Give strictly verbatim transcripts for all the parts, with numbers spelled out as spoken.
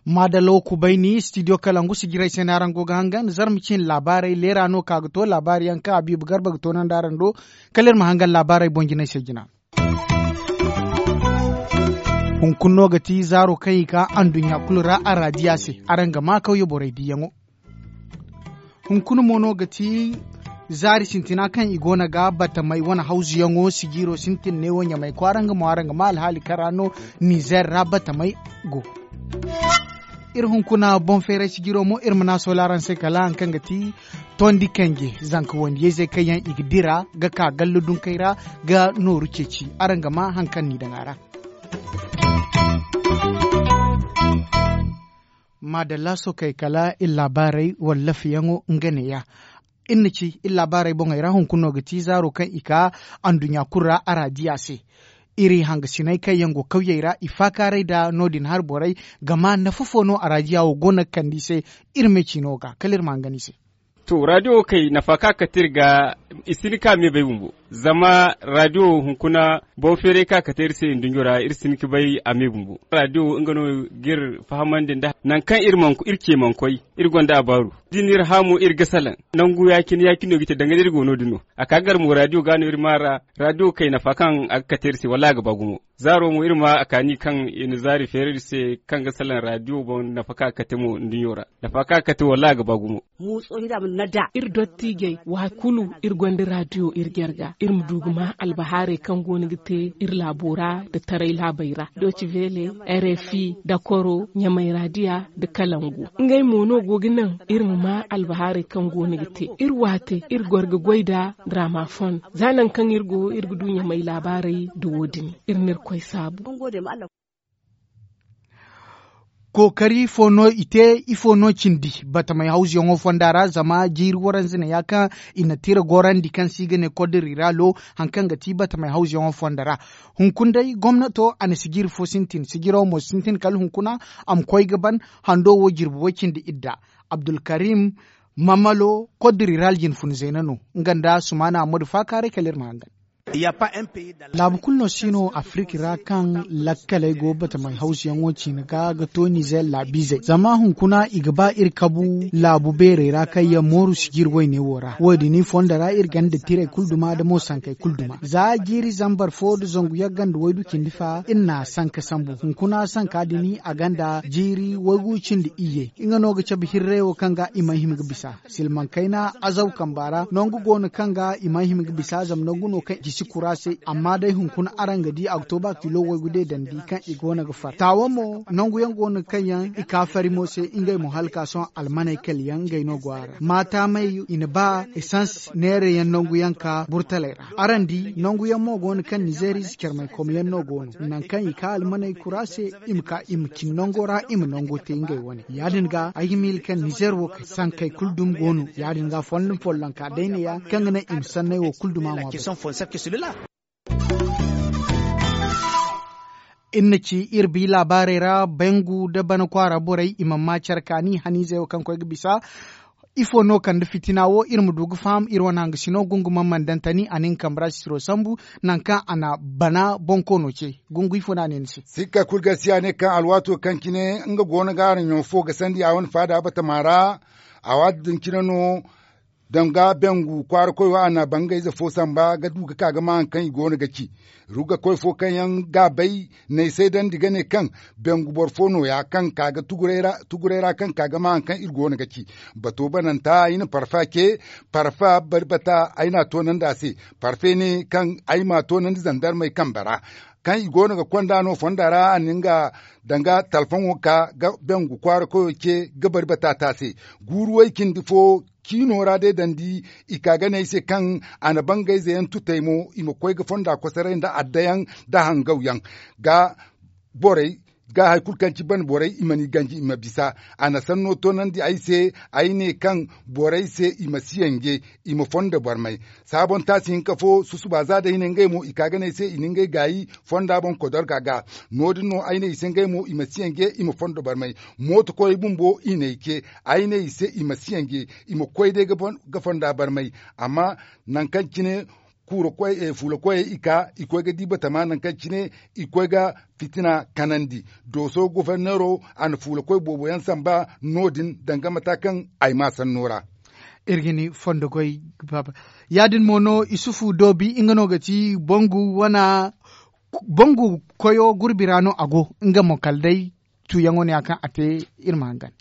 Maadalla wo kubayni studio kalangu sijirey se no araŋ go ga hangan zarma cin laabaarey leera no ka ga to laabaari yaŋ kaŋ a biiba garba ga to nandi araŋ do. Kala iri ma hangan laabaarey boŋ jinay se jina. Hunkuna no ga ti zaaro kaŋ i ka anduɲɲa kulu ra araadiya se. Araŋ ga maa kawye borey diiyaŋo. Hunkuna mo no ga ti zaari sintina kaŋ i go no ga batamey wane hawzuyaŋo sijiiro sintin neewo ɲamay kwaara nga mo araŋ ga maa alhaali kaŋ ra no nizer ra batamey go. Iri hunkuna boŋ feeray sijiiro mo iri ma naŋ a soola araŋ se kala hari kaŋ ga ti tondi kanje zanka wandiyayzey kaŋ yaŋ i ga dira ga ka galla dunkey ra ga nooru ceeci. Araŋ ga maa hari kaŋ no i daŋ a ra. Maadalla sookey kala iri laabaarey wallafeyaŋo nga neeya. Iri na ci iri laabaarey boŋey ra hunkuna no ga ti zaaro kaŋ i ka anduɲɲa kulu ra araadiya se. Iri hangasiney kaŋ yaŋ go kawyey ra i faakaaray nda no- din hari borey. Gama nafa fo no araadiya wo go no ga kande i se iri me ciino ga kala iri ma hangan i se. To raadiyo wo kay nafa kaŋ a kate iri ga i si hin ka me bay bumbo. Zama raadiyo hunkuna boŋ feeray kaŋ a kate iri se nduɲɲo ra iri si hin ka bay a me bumbo. Raadiyo nga no ga iri fahamandi nda nangu kaŋ iri ce mana koy iri gonda a baaru da i na iri hã mo iri ga salaŋ. Nangu ya- cine ya- cine no ga i te danga day iri go no- din no. A ka gar mo raadiyo ga no iri maa ra. Raadiyo kay nafa kaŋ a ga kate iri se wallaahi a ga ba gumo. Zaaro mo iri ma a kaani kaŋ i na zaari feeri iri se kaŋ ga salaŋ raadiyo boŋ nafa kaŋ a ga kate mo nduɲɲo ra. Nafa kaŋ a ga kate wallaahi a ga ba gumo. Iri dottiijey waati kulu iri gonda raadiyo iri jarga iri ma du ga maa albahaarey kaŋ go no ga te iri laabo ra nda taray laabey ra doci veele, rfi, dakoro, ɲamay raadiya, nda kalangu. Ngey mo no go ga naŋ iri ma maa albahaarey kaŋ go no ga te iri waate iri goro ga goy nda ramafon. Za nangu kaŋ iri go iri ga du ɲamay laabaarey nda wo- din iri na irkoy saabu. Kookari ifo no i te? Ifo no cindi batamey hawzuyaŋo fonda ra zama jiiri waranza ne ya kaŋ i na tira gorandi kaŋ se i ga ne kod riralo. Hari kaŋ ga ti batamey hawzuyaŋo fonda ra hunkuna day gomnato a na sijiri fo sintin sijiro mo sintin kala hunkuna. A ma koy ga ban hando wo jirbi way cindi idda. Abdulkarim mamalo kod riral jinfun zeena no nga nda sumaana ammadu faakaaray kala iri ma hangan. Laabu kulu no si no afirika ra kaŋ lakkaley go batamey hawsuyaŋo ciine ga ga to nizer laabiizey zama hunkuna i ga ba iri kabu laabu beerey ra kaŋ yaŋ mooru sijiri wayne wo ra wo- din i fondo ra iri ganda tirey kulu duma nda mo sankey kulu duma za jiiri zambar fo nda zangu yagga nda waydu cindi fa iri na sanka sambu hunkuna sanka din a ganda jiiri waygu cindi iyye. Nga no ga cabe hirrey wo kaŋ ga i mana hima ga bisa silmaŋ kayna azaw kamba ra nangu go no kaŋ ga i mana hima ga bisa zama nangu no kaŋ i si kura se. Amma day hunkuna araŋ ga di a ga to ba kilo waygu day dandi kaŋ i go no ga far taawa mo nangu yaŋ go no kaŋ yaŋ i ka fari mo se ngey mo hala ka sohõ almaney kala yaŋ ngey no go a ra maataamey i na ba esans neera yaŋ nangu yaŋ ka burtaley ra. Araŋ di nangu yaŋ mo go no kaŋ nizeeriize carmay kom yaŋ no go no nangu kaŋ i ka almaney kura se i ma ka i ma cin nango ra i ma nango te ngey wane ya- din ga ay ga miila kaŋ nizeer wo kay sankey kulu dumi go no ya- din ga follon follonka day ne ya kaŋ ga naŋ i ma sanney wo kulu duma ŋwa boŋ. Iri na ci iri bi laabaarey ra bangu nda bana kwaara borey i mana ma care kaani haniizey wo kaŋ koy ga bisa. Ifo no kande fitina wo iri ma du ga faham iri wane hangasino gungumaŋ mana daŋ tani a na nga kambe ra sisiro sambu nangu kaŋ a na bana bonkoono ce. Gungu ifo no a ne ni se? Sikka kulu ga si a ne kaŋ alwaato kaŋ cine nga go no ga araŋ ɲaŋo fo ga sandi a wane faada batama ra. A waati din cine no danga bengu kwaara koy wo a na bangayze fo samba ga du ga ka ga ma hari kaŋ i go no ga ci. Rugakoy fo kaŋ yaŋ ga a bay n'ay saydandi ga ne kaŋ bengu boro fo nooya kaŋ ka ga tuguray ra kaŋ ka ga ma hari kaŋ iri go no ga ci. Bato bananta ay na parfa ce. Parfa bari bata ay n'a toonandi a se. Parfe ne kaŋ ay m'a toonandi zandarmey kambe ra kaŋ i go no ga konda no fonda ra a na nga danga talfoŋo ka ga bengu kwaara koyo ce ga bari bata te a se. Guuru way cindi fo ciino ra day dandi i ka ga ne ay se kaŋ a na bangayze yaŋ tutay mo i ma koy ga fonda kosoray nda adda yaŋ nda hangaw yaŋ ga borey Ga hari kulu kaŋ ci ban borey i ma ni ganji i ma bisa. A na sanno toonandi ay se. Ay ne kaŋ borey se i ma si yanje, i ma fondo barmay. Saabon taasi hinka fo susuba za day ne ngey mo i ka ga ne ay se i na ngey gaayi fonda boŋ kodorga ga. No- din no ay ne i se ngey mo i ma si yanje, i ma fondo barmay. Mooto koyey bumbo i na ay ce. Ay ne i se i ma si yanje, i ma koy day ga fonda barmay. Amma nangu kaŋ cine fuula koyey i ka i koy ga di batama nangu kaŋ cine i koy ga fitina kanandi. Dooso goforneero a na fuula koy boobo yaŋ samba no- din danga mata kaŋ ay ma sanno ra. Iri ga ni fondo goy. Ya- din mo no isufu doobi nga no ga ti bangu wana bangu koyo gurbi ra no a go. Nga mo kala day tuuyaŋo no ya kaŋ a te. Iri ma hangan.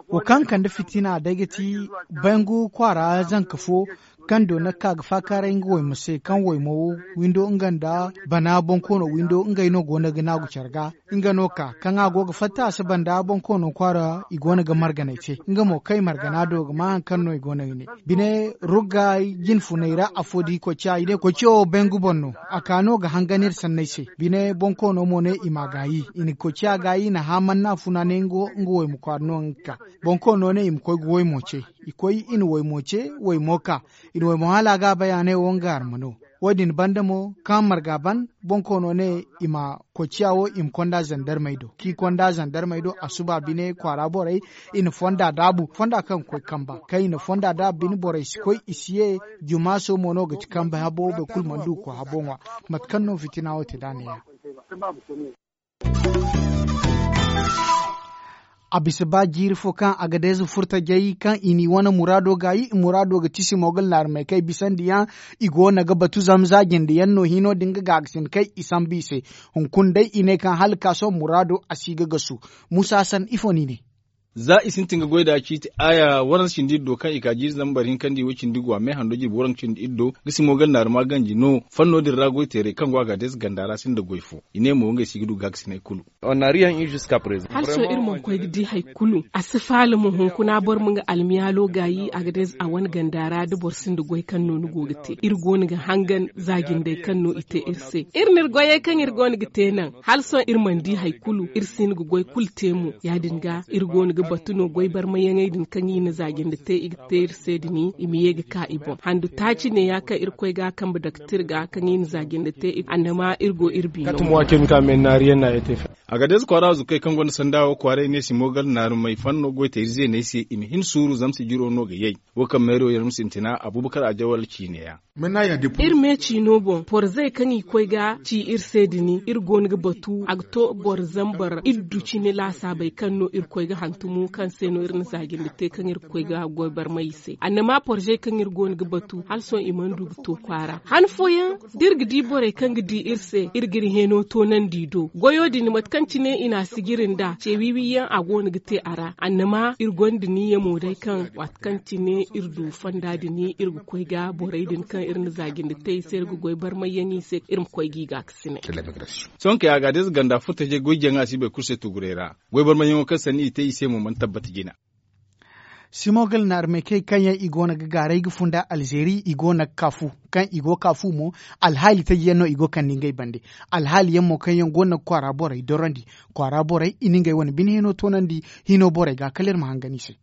Wo kaŋ kande fitina day ga ti bangu kwaara zanka fo kaŋ doona ga ka ga faakaaray nga waymo se kaŋ waymo windo nga nda bana bonkoono windo ngey no go no ga naagu care ga. Nga no ka kaŋ a go ga fatta a si banda bonkoono kwaara i go no ga marganay te nga mo kay margana do ga ma hari kaŋ no i go no ga ne bine rugga jinfunay ra afo di koy ciya i ne koy ciya wo bangu boŋ no. A ka no ga hangan iri sanney se bine bonkoono mo ne i ma a gaayi i na koy ciya gaayi i na haamanna funa ne nga wo nga wo i ma kwaara no nga ka. Bonkoono ne i ma koy ga waymo ce. I koy i na waymo ce waymo ka i na waymo hala a ga a bay a ne wo nga arma no. Wo- din banda mo kaŋ marga ban bonkoono ne i ma koy ciya wo i ma konda zandarmey do kaŋ i konda zandarmey do a suba bine kwaara borey i na fonda daabu fonda kaŋ ga koy kamba kaŋ i na fonda daabu bine borey si koy i si ye. Jumaaso mo no ga ti kambe habo boro kulu mana du ga koy habo ŋwa. Mate kaŋ no fitina wo te da a ne- ya a bisa ba jiiri fo kaŋ agadeeze furtajey kaŋ i n'i wane muraado gaayi i muraado ga ti simo ga laarmey kaŋ ay bisandi yaŋ. I go no ga batu zama za jinde yaŋ no hino din ga gaagasin kaŋ i sambu i se. Hunkuna day i ne kaŋ hala ga ka sohõ muraado a si ga gasu. Muusa san ifo no i ne? Za i sintin ga goy nd'a ciiti aaya waranza cindi iri do kaŋ i ka jiiri zambar hinka nda i way cindi go a me hando jirbi waranza cindi iri do ga simo ga laarma ganji no. Fanno din ra goy teerey kaŋ go a ga deesa ganda ra sinda goy fo. I ne mo ngey si ga du gaagasiney kulu. Hala sohõ iri mana koy ga di hari kulu a si faala mo hunkuna boro ma nga almiyaalo gaayi a ga day a wane ganda ra da boro sinda goy kaŋ no ni go ga te iri go no ga hangan za jindey kaŋ no i te iri se. Iri na iri goyey kaŋ iri go no ga te naŋ hala sohõ iri mana di hari kulu iri si hin ga goy kulu te mo ya- din ga iri go no ga batu no goy barmayaŋey din kaŋ i na za jinde te i ga te iri se din i ma ye ga ka i boŋ handu taaci ne- ya kaŋ iri koy ga a kambe daktir ga kaŋ i na za jinde te annama iri go iri biino. Agades kwaara zukey kaŋ gonda sanda wo kwaaray ne simo gar naarumey fanno goy te iri zeeney se i ma hin suuru zama sijiro no ga yay. Wo kaŋ meero yaŋ ma sintina abubakar ajawal ciine ya. Iri me ciino boŋ porzey kaŋ i koy ga ci iri se din iri go no ga batu a ga to boro zambar iddu cine laasaabey kaŋ no iri koy ga hantumo kaŋ se no iri na zaajindi te kaŋ iri ga koy ga goy barmay i se annama porzey kaŋ iri go no ga batu hala sohõ i mana du ga to kwaara han fooyaŋ da iri ga di borey kaŋ ga di iri se iri ga iri hẽeno toonandi do goyo din mate kaŋ cine i na a sijiri nd'a ce wiiwi yaŋ a go no ga te a ra annama iri gonda niyya mo day kaŋ waati kaŋ cine iri du fonda din iri ga koy ga borey din kaŋ iri na za jinde te i se iri ga goy barmayyaŋ i se iri ma koy ga i gaakasinay. Sohõ kay a ga a day ize ganda furtajey goy jaŋa si bay kulu se tuguray ra goy barmayyaŋo kaŋ sanni i te i se mo mana tabbata jina. Simogal na armekey kaŋ yaŋ i go no ga gaaray ga funda alzeeri i go no ga kaafu kaŋ i go kaafu mo. Alhaali taji yaŋ no i go kande ngey bande alhaali yaŋ mo kaŋ yaŋ go no ga kwaara borey dorandi kwaara borey i na ngey wane bine hino toonandi hino borey ga kala iri ma hangan i se.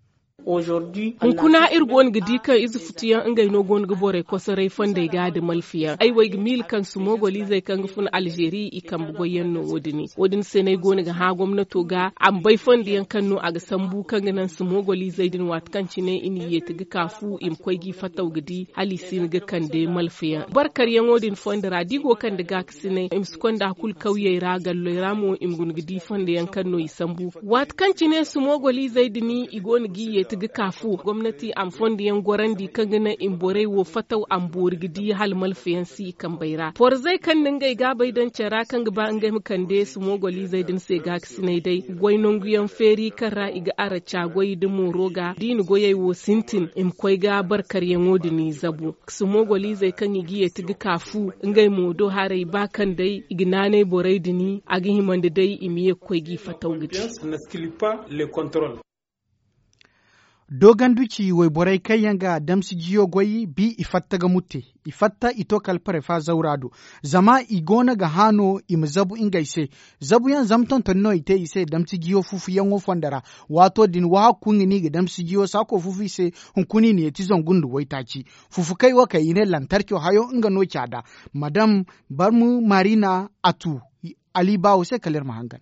Hunkuna iri go no ga di kaŋ ize futuyaŋ ngey no go no ga borey kosoray fondey ga nda malfiyaŋ ay wo ay ga miila kaŋ sumogolizey kaŋ ga fun alzeeri i kambe goyyaŋ no wo- din wo- din se no ay go no ga hã gomnato ga a ma bay fondo yaŋ kaŋ no a ga sambu kaŋ ga naŋ sumogolizey din waati kaŋ cine i na i yeeti ga ka fu i ma koy ga i fataw ga di hala i si hin ga kande malfiyaŋ barkaryaŋo din fondo ra da i go kande gaakasinay i ma si konda kulu kawyey ra galley ra mo i ma guna ga di fondo yaŋ kaŋ no i sambu waati kaŋ cine sumogolizey din i go no ga i yeeti ga ka fu gomnati a ma fondo yaŋ gorandi kaŋ ga naŋ i ma borey wo fataw a ma boori ga di hala malfayaŋ si i kambey ra porzey kaŋ na ngey gaabey daŋ care ra kaŋ ga ba ngey ma kande sumogolizey din se gaakasinay day goy nanguyaŋ feeri kaŋ ra i ga araca goy nda mooro ga da i na goyey wo sintin i ma koy ga barkaryaŋo din i zabu sumogolizey kaŋ i ga yeeti ga ka fu ngey mo do haray ba kaŋ day i ga naanay borey din a ga himandi day i ma ye ga koy ga i fataw ga di. N'exclut pas le contrôle. Dooganduci wayborey kaŋ yaŋ ga damsijiyo goy bi i fatta ga mutte. I fatta i to kala parefa zawra do. Zama i go no ga hã no i ma zabu ngey se. Zabuyaŋ zama tonton no i te i se damsijiyo fufuyaŋo fondo ra. Waato din wahakku nga no i ga damsijiyo saako fufu i se. Hunkuna i na yeeti zangu nda waytaaci. Fufukey wo kaŋ i ne lantarco hayo nga no caada. Madam barmu marina a tu. Ali baawo se kala iri ma hangan.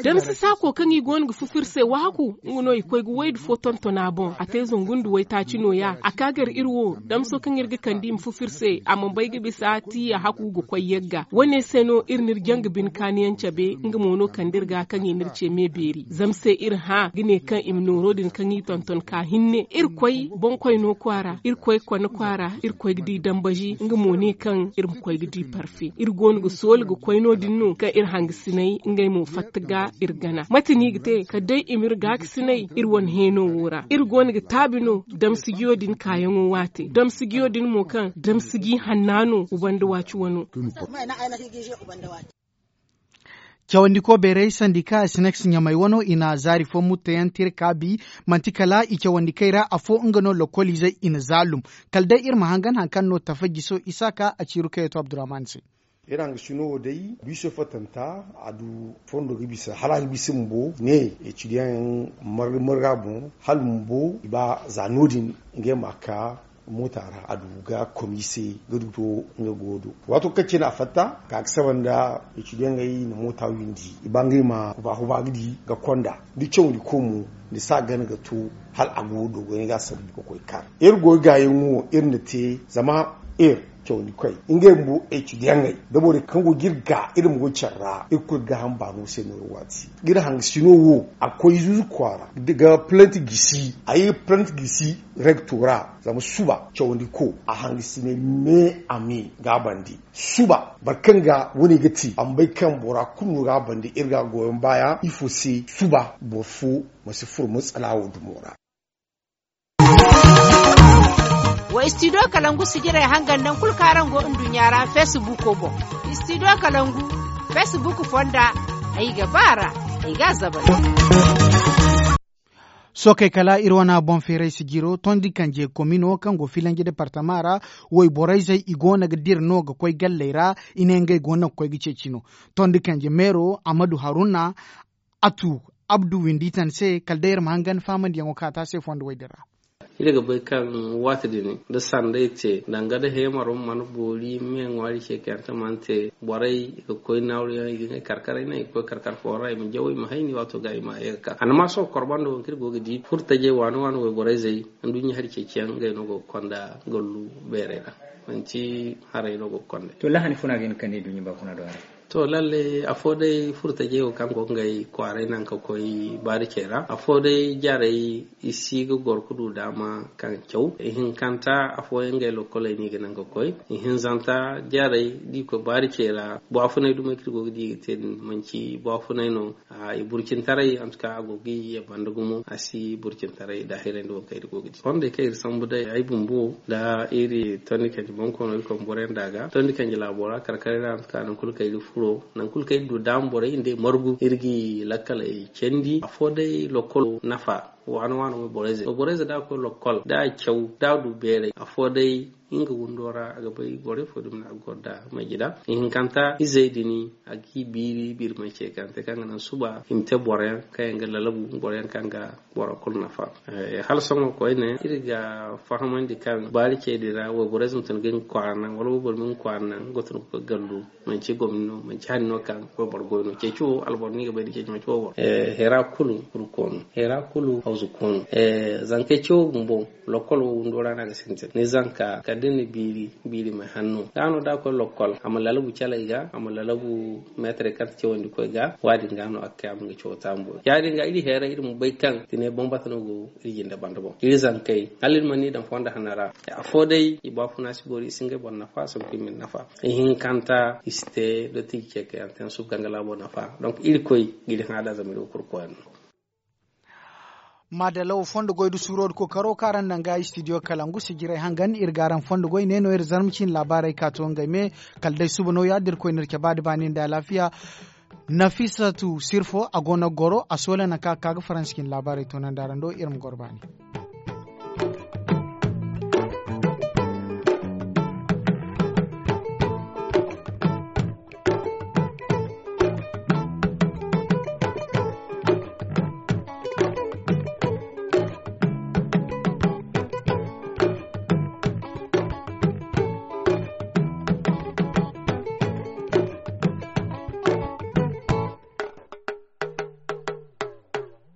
Damsi saako kaŋ i go no ga fufu iri se wahaku nga no i koy ga waydu fo tontona boŋ a te zangu nda waytaaci nooya a ka gar iri wo. Damso kaŋ iri ga kande i ma fufu iri se a ma bay ga bisa tiya haku ga koy yagga wo- ne se no iri n'iri jaŋ ga bine kaaniyaŋ cabe nga mo no kande iri ga kaŋ i n'iri ce me beeri zama se iri hã ga ne kaŋ i ma nooro din kaŋ i tonton ka hinne iri koy boŋkoyno kwaara iri koy kone kwaara iri koy ga di dambazi nga mo ne kaŋ iri ma koy ga di parfe iri go no ga sooli ga koy no- din no kaŋ iri hangasinay ngey mo fatta ga iri gana mate no i ga te kala day i ma iri gaakasinay iri wane heeno wo ra iri go no ga taabi no damsijiyo din kaayaŋo waate damsijiyo din mo kaŋ damsiji hanna no wa banda waaci wano. Cawandiko beeray sandika sineks ɲamay wano i na zaari fo mutteyaŋ te iri kaabi manti kala i cawandikey ra afo nga no lokkoliizey i na zaalum. Kala day iri ma hangan hari kaŋ no tafa jiso isaaka a ciiru kaŋ yaŋ to abdurrahman se. Iri hangasino wo day biiso fattanta a du fondo ga bisa hala a ga bisa bumbo ne. Etudiyaŋ yaŋ marga marga boŋ hala bumbo i ba za no- din ngey ma ka moota ra a du ga komise ga du to nga go do. Waato kaŋ cine a fatta ka ga saba nda etudiyaŋey na moota windi i ba ngey ma huba huba ga di ga konda da cawandi ko mo ni si a gana ga to hala a go do goyne ga a sambu ga koy kaar. Iri goy gaayaŋo iri na te zama iri cawandi koy ngey bumbo etudiyaŋey da borey kaŋ go ga iri ga iri ma goy care ra iri kulu gaaham baano se no iri waati. Ga iri hangasino wo a koy zuzu kwaara ga plante gisi a ye plante gisi rektora zama suba cawandi ko a hangasinay me a me ga a bande. Suba boro kaŋ ga wane ga te a ma bay kaŋ bora kulu no ga a bande iri ga a goyaŋ baaya ifo se suba boro fo ma si furo matsala wo dumo ra. Wa studio kalangu sijiray hangan naŋ kulu kaŋ araŋ go nduɲɲa ra feesibuuko boŋ. Studio kalangu feesibuuku fonda ay ga ba a ra ay ga a zabal. Sookey kala iri wane boŋ feeray sijiro tondi kanje komino kaŋ go filanji departama ra. Wayborayzey i go no ga dira no ga koy galley ra i ne ngey go no ga koy ga ceeci no. Tondi kanje meero amadu haruna a tu abdu windi tan se kala day iri ma hangan faamandiyaŋo kaŋ a te a se fondo way din ra. Iri ga bay kaŋ waati din da sanday te danga da heemaro mana boori me ŋwaari ce kaŋ yaŋ te mana te borey i ga koy naawruyaŋ i ga ne karkaray naŋ i ga koy karkar fo ra i ma jaw i ma hayni waato ga i ma ye ga ka a na ma sohõ korbando wo kaŋ iri go ga di furo tajey waani waani wayborayzey nduɲɲa hari ceeciyaŋ ngey no go ga konda gallu beerey ra. Manti haray no go ga konda. To lahani funa ga hin ga kande nduɲɲa baafuna do haray. To lalle afo day furo tajey wo kaŋ go ga ngey kwaaray naŋ ga koy baari cey ra afo day jarey i si ga goro ga du daama kaŋ caw ihinkanta afooyaŋ ngey lokkoley no i ga naŋ ga koy. Ihinzanta jarey da i koy baari cey ra baafunay dumey kaŋ iri go ga di i ga te din manti baafunay no. I burcintaray antuka a go ga i ye banda gumo a si burcintaray daahirandi wo kaŋ iri go ga di fondey kaŋ iri sambu day ay bumbo nda iri tondi kanji bonkoono iri koy ma boroyaŋ da a ga tondi kanji laabo ra kar karay ra antuka nangu kulu kaŋ iri furo nangu kulu kaŋ iri du daama borey nda i margu iri ga i lakkaley candi afo day lokkolo nafa. Waano waano mo borey ze da a koy lokkol da a caw da a du beeray afo day nga windo ra a ga bay borey fo dumi no a ga goro nda majida ihinkanta izey din a ga i biiri biiri mancey kaŋ te kaŋ ga naŋ suba i ma te boroyaŋ kaŋ yaŋ ga lalabu boroyaŋ kaŋ ga boro kulu nafa. Hala sohõ koyne iri ga fahamandi kaŋ baari cey din ra wayborey ze ma tun ga nga kwaara naŋ wala wayboro ma nga kwaara naŋ nga tun ga koy gallu manci gomni no manci hani no kaŋ wayboro goy no ceeci wo alboro no i ga bay da ceeci manci wayboro. Hera kulu furko no hera kulu hawzu ko no. Zankey cewo bumbo lokkol wo windo ra no a ga sintin ni zanka kala da ni na biiri biiri ma hanno da no da a koy lokkol a ma lalabu caley ga a ma lalabu meetarey kaŋ ti cawandi koy ga waadin ga no a ga kay a ma nga cawo taambu ya- din ga iri heera iri ma bay kaŋ tine bambata no go iri jinde banda boŋ iri zankey hala iri mana ni daŋ fondo hana ra. Afo day i baafuna si boori i si ngey boro nafa a si ga koy ma iri nafa. Ihinkanta i si te dottiji ce kaŋ yaŋ te yaŋ suba kaŋ ga laabo nafa donk iri koy ga iri hã da zama iri wo kulu koyne no. Maadalla wo fondo goy da suuro da kookaro kaŋ araŋ naŋ ga studio kalangu sijirey hangan iri ga araŋ fondo goy ne no iri zarma ciine laabaarey ka to ngey me. Kala day suba no ya- din iri koy no iri caba da baani nda alaafiya. Nafisatu sirfo a go no goro a soole nanka ka ga faransi cine laabaarey toonandi araŋ do iri ma goro baani.